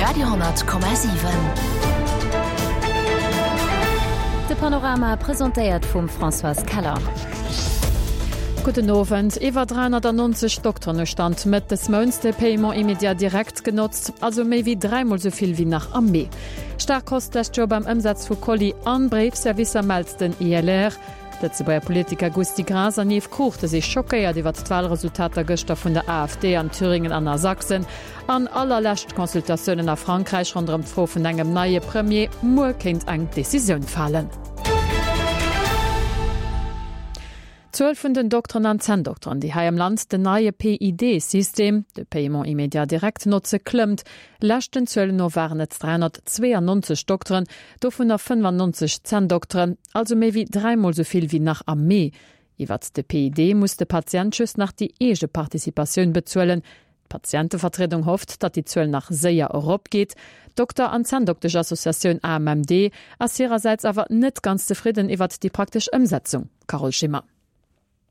Radio,7. De Panorama presentéiert vum Françoise Keller. Gudden Owend. Iwwer 390 Dokteren hu Stand Mëtt des Mounts de Paiement immédiat direct genotzt, also méi wéi dräimol sou vill wéi nach am Mee. Staark Hausse d'lescht Joer beim Ëmsaz vu Colis an Bréifservicer, mellt den ILR. D'Lëtzebuerger Politiker Gusty Graas an Yves Cruchten si schockéiert iwwert d'Walresultater gëschter vun der AfD an Thüringen an a Sachsen. An allerlescht Consultatiounen a Frankräich ronderëm d'Fro vun engem neie Premier. Muer kéint eng Decisioun falen. D'Zuel vun den Dokteren an Zänndokteren, déi hei am Land den neie PID-System, de Paiement immédiat direct, notze klëmmt. Leschten Zuelen no waren et 392 Dokteren, dovunner 95 Zänndokteren. Also méi wéi dräimol sou vill wéi nach am Mee. Iwwert de PID muss de Patient just nach déi eege Participatioun bezuelen. D'Patientevertriedung hofft, datt déi Zuel nach séier eropgeet. D'Dokter an Zänndoktesch-Associatioun AMMD ass hirersäits awer net ganz zefridden iwwert déi praktesch Ëmsetzung. Carole Schimmer.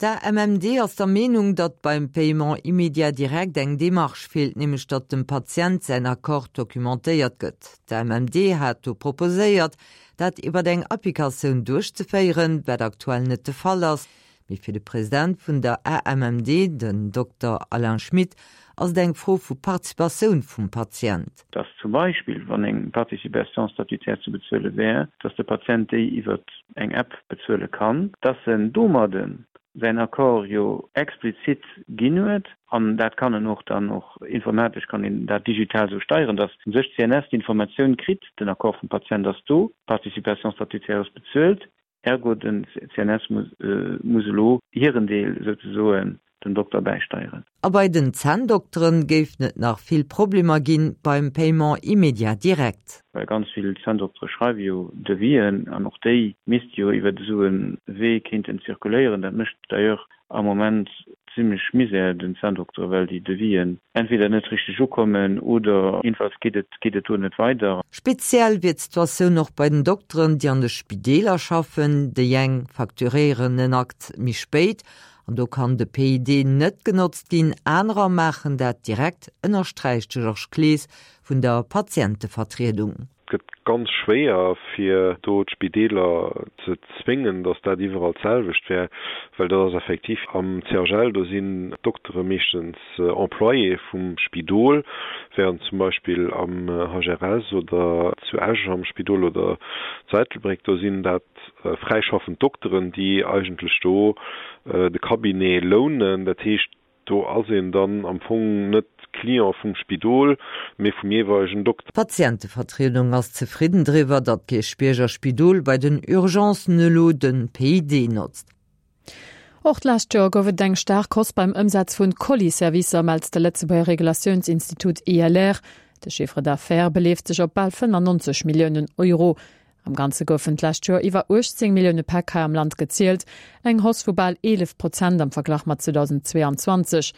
D'AMMD ass der Meenung, datt beim Paiement immédiat direct eng Demarche feelt, nämlech datt dem Patient säin Accord documentéiert gëtt. D'AMMD hat do proposéiert, dat iwwer eng Applikatioun duerchzeféieren, wat aktuell net de Fall ass. Mee fir de President vun der AMMD, den Dokter Alain Schmit, ass et eng Fro vu Participatioun vum Patient. Dass zum Beispill, wann eng Participation statutaire ze bezuele wär, dass de Patient déi iwwer eng App bezuele kann, dass en domadde säin Accord jo explizit ginn huet, an dat kann en och dann och informatesch kann een dat digital esou steieren, dass u sech d'CNS d'Informatioun kritt, den Accord vum Patient ass do, d'Participation statutaire ass bezuelt, ergo den CNS muss elo hiren Deel souzesoen den Dokter bäisteieren. A bei den Zänndokteren géifen et nach vill Problemer ginn beim Paiement immédiat direct. Well ganz vill Zänndoktere schreiwe jo Devisen an och déi misste jo iwwert esou e Wee kéinten zirkuléieren. Dat mécht d'ailleurs am Moment zimmlech Misär den Zänndoktere, well déi Devisen entweder net richteg ukommen oder jedenfalls geet et geet et do net weider. Speziell wier d'Situatioun och bei den Dokteren, déi an de Spideeler schaffen. Déi eng facturéieren en Akt méi spéit An do kann de PID net genotzt ginn, anerer maachen dat direkt, ënnersträicht de Georges Clees vun der Patientevertriedung. Et gëtt ganz schwéier, fir do d'Spideeler ze zwéngen, datt dat iwwerall d'selwecht wär, well dat ass effektiv am CHL, do sinn d'Doktere meeschtens Employéë vum Spidol, während zum Beispill am HRS oder zu Esch am Spidol oder zu Ettelbréck, do sinn dat fräischaffend Dokteren, déi eigentlech do de Cabinet lounen. Dat heescht, do ass een dann am Fong net Client vum Spidol, mee vum jeeweilegen Dokter. D'Patientevertriedung ass zefridden driwwer, datt d'Kierchbierger Spidol bei den Urgencen elo de PID notzt. Och d'lescht Joer gouf et eng staark Hausse beim Ëmsaz vun Colis-Servicer, mellt de Lëtzebuerger Regulatiounsinstitut ILR. De Chiffre d'affaires beleeft sech op bal 95 Milliounen Euro. Am Ganze goufen d'lescht Joer iwwer 18 Millioune Päck hei am Land gezielt, eng Hausse vu bal 11 Prozent am Verglach mat 2022.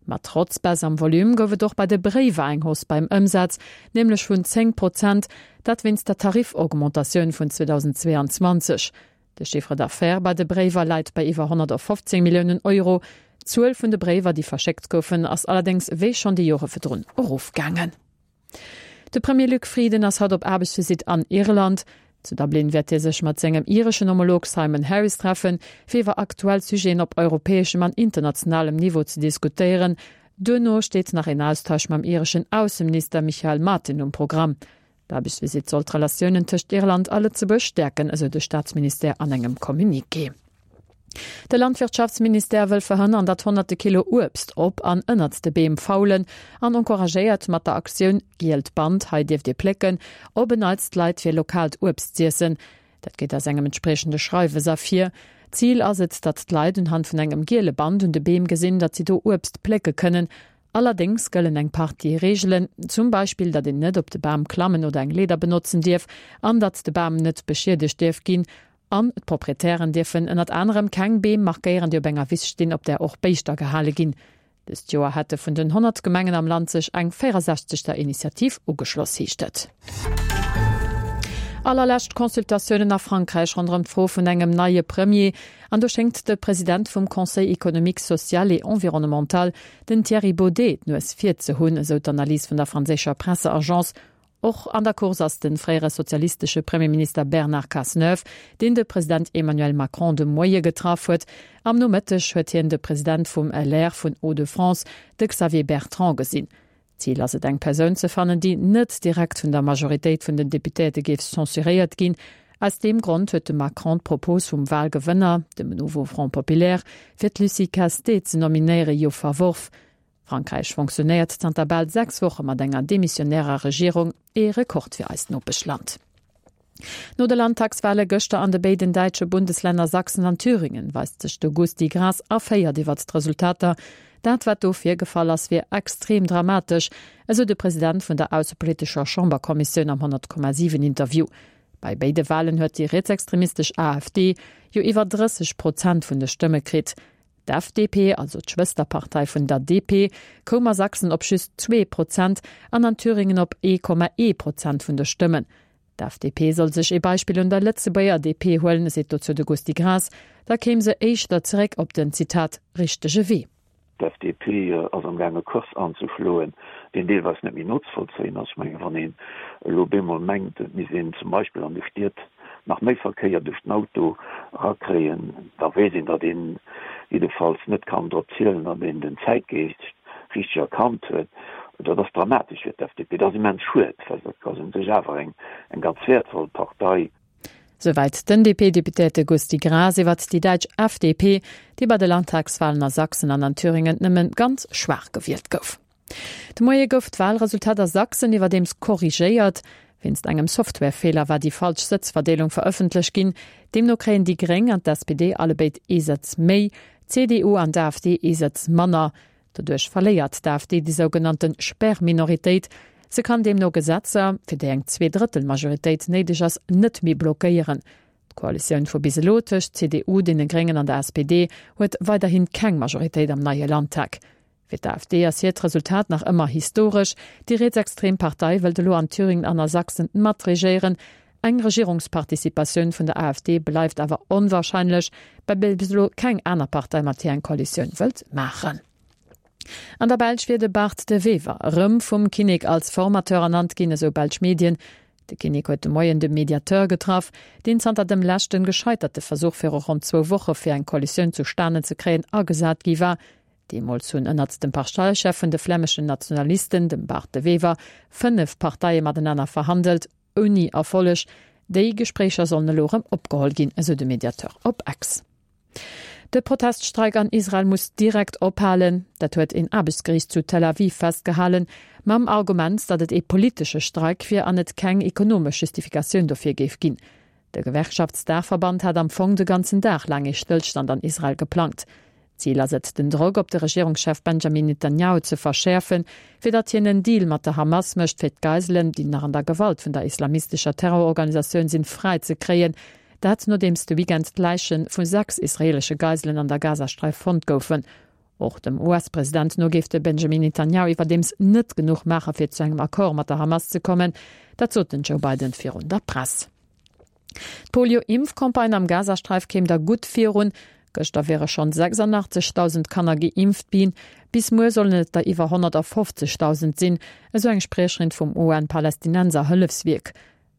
Ma trotz Baisse am Volume gouf et och bei de Bréiwer eng Hausse beim Ëmsaz, nämlech vun 10 Prozent, dat wéinst der Tarifaugmentatioun vun 2022. De Chiffre d'affaires bei de Bréiwer läit bei iwwer 115 Milliounen Euro. D'Zuel vun de Bréiwer, déi verschéckt goufen, ass allerdéngs wéi schonn déi Jore virdrun erofgaangen. De Premier Luc Frieden ass haut op Aarbechtsvisitt an Irland. Zu Dublin wäert hie sech mat sengem ireschen Homolog Simon Harris treffen, fir iwwer aktuell Sujeten op europäeschem an internationalem Niveau ze diskutéieren. Duerno steet nach een Austausch mam ireschen Ausseminister Micheál Martin um Programm. D'Aarbechtsvisitt soll d'Relatiounen tëscht Irland a Lëtzebuerg stäerken, esou de Staatsministère an engem Communiqué. De Landwirtschaftsministère wëll verhënnern, datt honnerte Kilo Uebst op an ënnert de Beem faulen an encouragéiert mat der Aktioun Gielt Band, hei dierft Dir plécken, op en Neits d'Leit fir lokaalt Uebst z'iessen. Dat geet aus engem entspriechende Schreiwes ervir. Zil ass et, datt d'Leit unhand vun engem giele Band un de Beem gesinn, datt si do Uebst plécke kënnen. Allerdéngs gëllen eng Partie Reegelen, zum Beispill datt een net op de Bam klammen oder eng Leeder benotzen dierf an datt de Bam net beschiedegt dierf ginn. An d'Proprietären dierfen ënnert anerem keng Beem markéieren, déi op enger Wiss stinn, op där och Béischter gehale ginn. Dëst Joer hätte vun den 100 Gemengen am Land sech eng 64 der Initiativ ugeschloss, heescht et. Allerlescht Consultatiounen a Frankräich ronderëm d'Fro vun engem neie Premier. An do schéngt de President vum Conseil économique, social et environnemental, den Thierry Baudet, d'Nues vir ze hunn, esou d'Analys vun der franséischer Presseagence. Och an der Course ass de fréiere sozialistesche Premierminister Bernard Cazeneuve, deen de President Emmanuel Macron de Moie getraff huet. Am Nomëtteg huet hien de President vum LR vun Hauts-de-France, de Xavier Bertrand, gesinn. Zil ass et eng Persoun ze fannen, déi net direkt vun der Majoritéit vun den Deputéierte géif censuréiert ginn. Aus deem Grond huet de Macron d'Propos vum Walgewënner, dem Nouveau Front Populaire, fir d'Lucie Castet ze nominéiere jo verworf. Frankräich fonctionnéiert zanter bal 6 Woche mat enger demissionärer Regierung, ee Rekord fir eist Nopeschland. No de Landtagswale gëschter an de béiden däitsche Bundeslänner Sachsen an Thüringen weist sech de Gusty Graas erféiert iwwert d'Resultater. Dat wat do virgefall ass, wier extrem dramatesch, esou de President vun der aussepolitescher Chamberkommissioun am 100,7 Interview. Bei béide Walen huet déi rietsextremistesch AfD jo iwwer 30 Prozent vun de Stëmme kritt. D'FDP, also d'Schwësterpartei vun der DP, koum a Sachsen op just 2 Prozent an an Thüringen op 1,1 Prozent vun de Stëmmen. D'FDP soll sech ee Beispill un der Lëtzebuerger DP huelen, seet dozou de Gusty Graas, da kéim se éischter zeréck op den, Zitat, richtege Wee. D'FDP ass am gaang e Kurs anzeschloen, deen deelweis net méi nozevollzéien ass. Ech mengen, wann een elo bemol mengt, et misst een zum Beispill an de Stied nach méi Verkéier duerch den Auto erakréien, da weess een, datt een jiddefalls net kann drop zielen, datt een den Zäitgeescht richteg erkannt huet. Dat ass dramatesch fir d'FDP. Dat ass immens schued, well dat ass u sech awer eng ganz wäertvoll Partei. Souwäit den DP-Deputéierte Gusty Graas iwwert déi däitsch FDP, déi bei de Landtagswalen a Sachsen an an Thüringen nëmmen ganz schwaach gewielt gouf. De Moie gouf d'Walresultat a Sachsen iwwerdeems korrigéiert. Wéinst engem Softwarefeeler war déi falsch Sëtzverdeelung verëffentlecht ginn. Deemno kréien déi Gréng an d'SPD allebéid ee Sëtz méi, d'CDU an d'AfD ee Sëtz manner. Doduerch verléiert d'AfD déi sougenannte Sperrminoritéit. Se kann deemno Gesetzer, fir déi eng Zweedrëttelmajoritéit néideg ass, net méi blockéieren. D'Koalitioun vu bis elo tëscht CDU, deene Gréngen an der SPD huet weiderhi keng Majoritéit am neie Landtag. Fir d'AfD ass hiert Resultat nach ëmmer historesch. Déi rietsextrem Partei wëllt elo an Thüringen an a Sachsen matregéieren. Eng Regierungsparticipatioun vun der AfD bleift awer onwarscheinlech, well bis elo keng aner Partei mat hir eng Koalitioun wëllt maachen. An der Belsch wier de Bart De Wever erëm vum Kinnek als Formateur ernannt ginn, esou belsch Medien. De Kinnek huet de Moien de Mediateur getraff, deen zanter dem leschten gescheiterte Versuch viru ronn zwou Woche fir eng Koalitioun zustanen ze kréien agesat gi war. Deemools hunn ënnert dem Parteichef vun de flämeschen Nationalisten, dem Bart De Wever, 5 Parteie matenaner verhandelt, ouni Erfolleg. Déi Gespréicher sollen elo erëm opgeholl ginn, esou de Mediateur op X. De Proteststreik an Israel muss direkt ophalen. Dat huet een Aarbechtsgeriicht zu Tel Aviv festgehalen, mam Argument, datt et ee politesche Streik wier an et keng ekonomesch Justifikatioun dofir géif ginn. De Gewerkschaftsdaachverband hat am Fong de ganzen Dag laang ee Stëllstand an Israel geplangt. Zil ass et, den Drock op de Regierungschef Benjamin Netanjahu ze verschäerfen, fir datt hien en Deal mat der Hamas mécht, fir d'Geiselen, déi nach an der Gewalt vun der islamistescher Terrororganisatioun sinn, fräi ze kréien. Dat nodeems de Weekend d'Läiche vu 6 israeelesche Geiselen an der Gazasträif fonnt goufen. Och dem US-President no géif de Benjamin Netanjahu iwwerdeems net genuch maache fir zu engem Accord mat der Hamas ze kommen. Dat sot den Joe Biden virun der Press. D'Polio-Impfcampagne am Gazasträif kéim da gutt virun. Gëschter wiere schonn 86.000 Kanner geimpft ginn. Bis muer sollen et der iwwer 150.000 sinn, esou eng Spriecherin vum UN-Palästinenser-Hëllefswierk.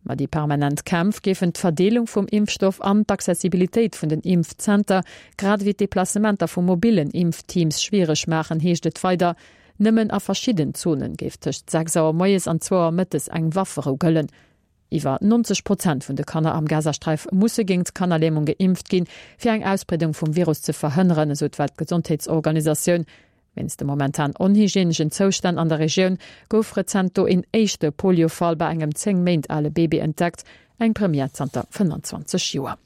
Ma déi permanent Kämpf géifen d'Verdeelung vum Impfstoff an d'Accessibilitéit vun den Impfzenter, grad ewéi d'Deplacementer vu mobillen Impfteams schwiereg maachen, heescht et weider. Nëmmen a verschidden Zone géif tëscht 6 Auer moies an zwou Auer mëttes eng Wafferou gëllen. Iwwer 90 Prozent vun de Kanner am Gazasträif musse géingt d'Kannerlämung geimpft ginn, fir eng Ausbreedung vum Virus ze verhënneren, esou d'Weltgesondheetsorganisatioun. Wéinst de momentan onhygieneschen Zoustänn an der Regioun gouf rezent do een éischte Polio-Fall bei engem 10 Méint ale Baby entdeckt, eng Première zanter 25 Joer.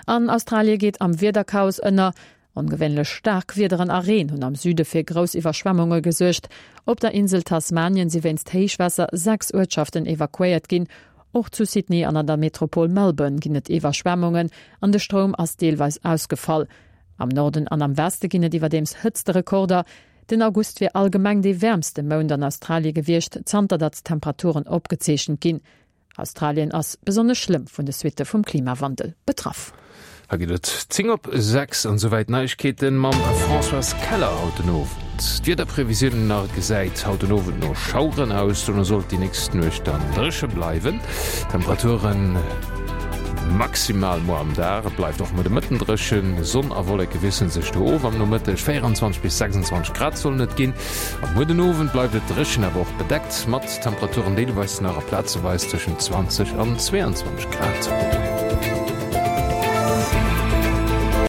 An Australie geet am Wiederchaos ënner. Ongewéinlech staark Wiederen a Reen hunn am Süde fir grouss Iwwerschwemmunge gesuergt. Op der Insel Tasmanien si wéinst Héichwaasser 6 Uertschaften evakuéiert ginn. Och zu Sydney an an der Metropol Melbourne ginn et Iwwerschwemmungen an de Stroum ass deelweis ausgefall. Am Norden an am Weste ginn et iwwerdeems Hëtzterekorder. Den August wier allgemeng dee wäermste Mount an Australie gewiescht, zanter datt Temperaturen opgezeechent ginn. Australien ass besonnesch schlëmm vun de Suitte vum Klimawandel betraff. Hei geet et 10 op 6 an souwäit Neiegkeeten mam Françoise Keller haut den Owend. D'Wiederprevisiounen nach, Et gesäit haut den Owend no Schaueren aus, dono sollt déi nächst Nuecht dann dréche bleiwen. Temperaturen maximal muer am Dag, et bleift och muer de Mëtten dréchen. Sonn a Wolleke wiessele sech do of am Nomëtteg, 24 bis 26 Grad sollen et ginn. A muer den Owend bleift et dréchen, awer och bedeckt, mat Temperaturen deelweis nach a plazeweis tëschent 20 an 22 Grad.